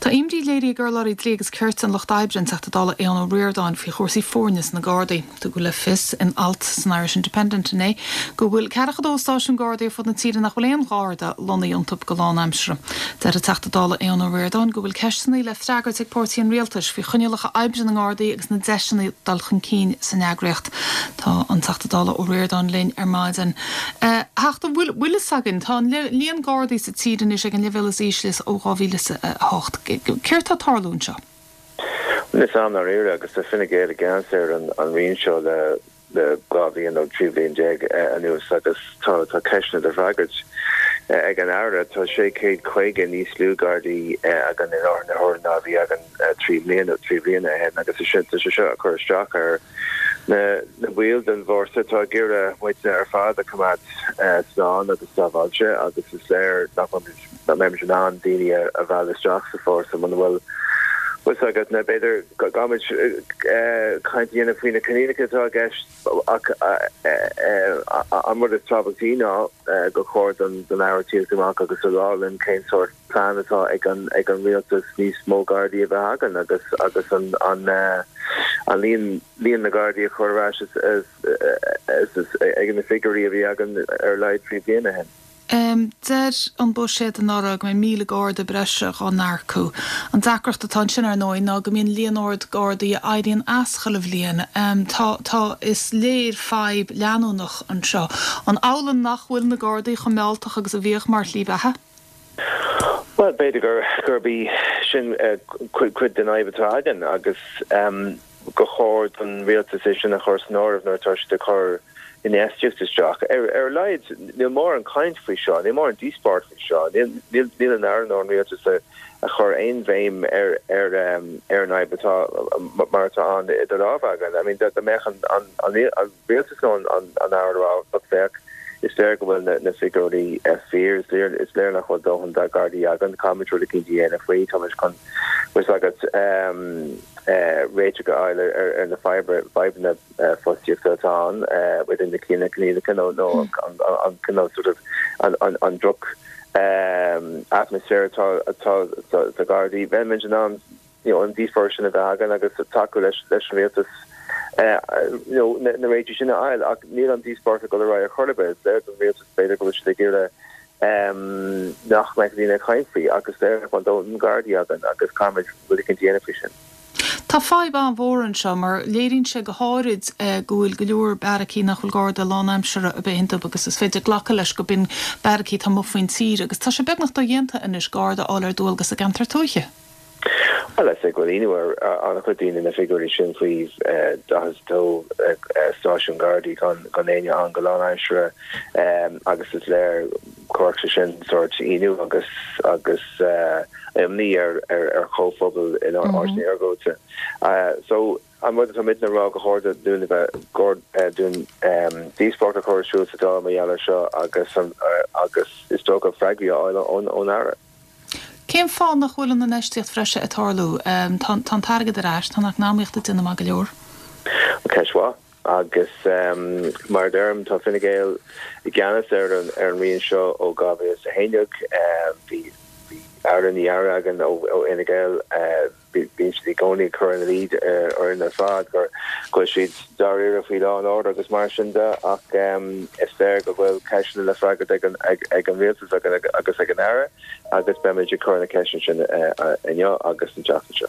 Tá imní léirithe ag urlabhraí Dlí agus Cirt an Lucht Oibre, an Teachta Dála Aodhán Ó Ríordáin, faoi chúrsaí foirne sna Gardaí. Tugadh le fios in alt san Irish Independent inné go bhfuil 42 stáisiún Gardaí ar fud na tíre nach bhfuil aon Gharda lonnaithe iontu go lánaimseartha. Deir an Teachta Dála Aodhán Ó Ríordáin go bhfuil ceisteanna le freagairt ag páirtí an rialtais faoi choinníollacha oibre na nGardaí agus na deiseanna dul chun cinn san eagraíocht. Tá an Teachta Dála Ó Ríordáin linn ar maidin. A Theachta, bhfuil bhfuil fhios againn, tá an líon Gardaí sa tír anois ag an leibhéal is ísle ó 2008. Céard tá ag tarlú anseo? Níl fhios a'm ndáiríre agus tá Fine Gael i gceannas ar an roinn seo le 12 bhliain nó 13 bhliain anuas agus tá tá ceisteanna le freagairt ag an Aire. Tá 650 níos lú Gardaí againn i láthair na huaire ná a bhí againn 3 mbliana 3 bliana ó shin agus tá sé seo ag cur isteach ar na baill den bhfórsa atá ag iarraidh muidne ar fad a choimeád slán agus sábháilte agus is léir nach mbeimid in ann daoine a mhealladh isteach sa fórsa muna bhfuil fhios agat na b'fhéidir go gcaithfimid caint a dhéanamh faoi na coinníollacha atá i gceist ach an rud is tábhachtaí ná gur chóir don Aire tíocht amach agus a rá linn cén sórt plean atá ag an ag an rialtas níos mó Gardaí a bheith againn agus agus an an an líon líon na Gardaí a chur ar ais ag na figiúirí a bhí againn ar a laghad 3 bliana ó shin. Deir an buiséad anuraidh go mbeidh 1,000 Garda breise dhá n-earcú. An deacracht atá ansin, ar ndóigh, ná go mbíonn líon ard Gardaí a éiríonn as chuile bhliain. Tá, tá, is léir fadhb leanúnach anseo. An amhlaidh nach bhfuil na Gardaí chomh mealltach agus a bhíodh mar shlí bheatha? Bhuel, b'fhéidir gur, gurb í sin cuid den fhadhb atá againn agus gur chóir don rialtas é sin a chur san áireamh nuair atá siad ag cur infheistíocht isteach. Ar a laghad, níl mórán caint faoi seo, níl mórán díospóireacht faoi seo, níl an Aire nó an rialtas ag cur aon bhéim ar ar an fhadhb atá mar atá ann idir lámha againn. I mean, dá mbeadh an rialtas nó an Aire a rá, look, féach, is léir go bhfuil na figiúirí fíor, is léir nach bhfuil dóthain Gardaí againn, caithfimid rud eicínt a dhéanamh faoi, táimid chun, bhfuil fhios agat, réiteach a fháil ar na fadhbanna fostaíochta atá ann, idir na coinníollacha nó an cineál sort of an droch atmaisféar atá sa Ghardaí. Bheimid in ann you know an díospóireacht sin a bheith againn agus tacú leis leis an rialtas you know na réitigh sin a fháil ach níl an díospóireacht ag dul ar aghaidh ar chor ar bith. Is léir don rialtas b'fhéidir go bhfuil siad ag iarraidh nach mbeadh daoine ag caint faoi ach is léir nach bhfuil dóthain Gardaí againn agus caithfimid rud éicint a dhéanamh faoi sin. Tá fadhb an-mhór anseo mar léiríonn sé go háirid go bhfuil go leor beairicí nach bhfuil Garda lánaimseartha ar bith iontu agus is féidir glacadh leis go b'in beairicí atá amuigh faoin tír agus tá sé beagnach dodhéanta anois Garda a fháil ar dualgas i gceantar tuaithe. Bhuel, is é go bhfuil ionadh ar an-chuid daoine na figiúirí sin faoi 42 stáisiún Gardaí gan éinne ann go lánaimseartha agus is léir chuirfeadh sé sin sórt ionadh agus agus imní ar ar chomhphobal in áiteanna iargúlta. So, an rud atá muidne a rá gur chóir dúinn a bheith chóir dúinn díospóireacht a chur ar siúl sa Dáil mar gheall air seo agus agus is dócha freagraí a fháil ón Aire. Cén fáth nach bhfuil an infheistíocht bhreise ag tarlú? Tá an t-airgead ar ais, tá an eacnamaíocht ag déanamh maith go leor. Ceist mhaith. Agus mar a deirim, tá Fine Gael i gceannas ar an roinn seo ó 2011. Bhí Aire i ndiaidh Aire againn ó Fhine Gael. Bíonn siad i gcónaí ag cur ina luí orainn ar fad go bhfuil siad dáiríre faoi law and order agus mar sin de ach is léir go bhfuil ceisteanna le freagairt ag an rialtas agus ag an Aire agus beimid ag cur na ceisteanna sin inniu agus an tseachtain seo.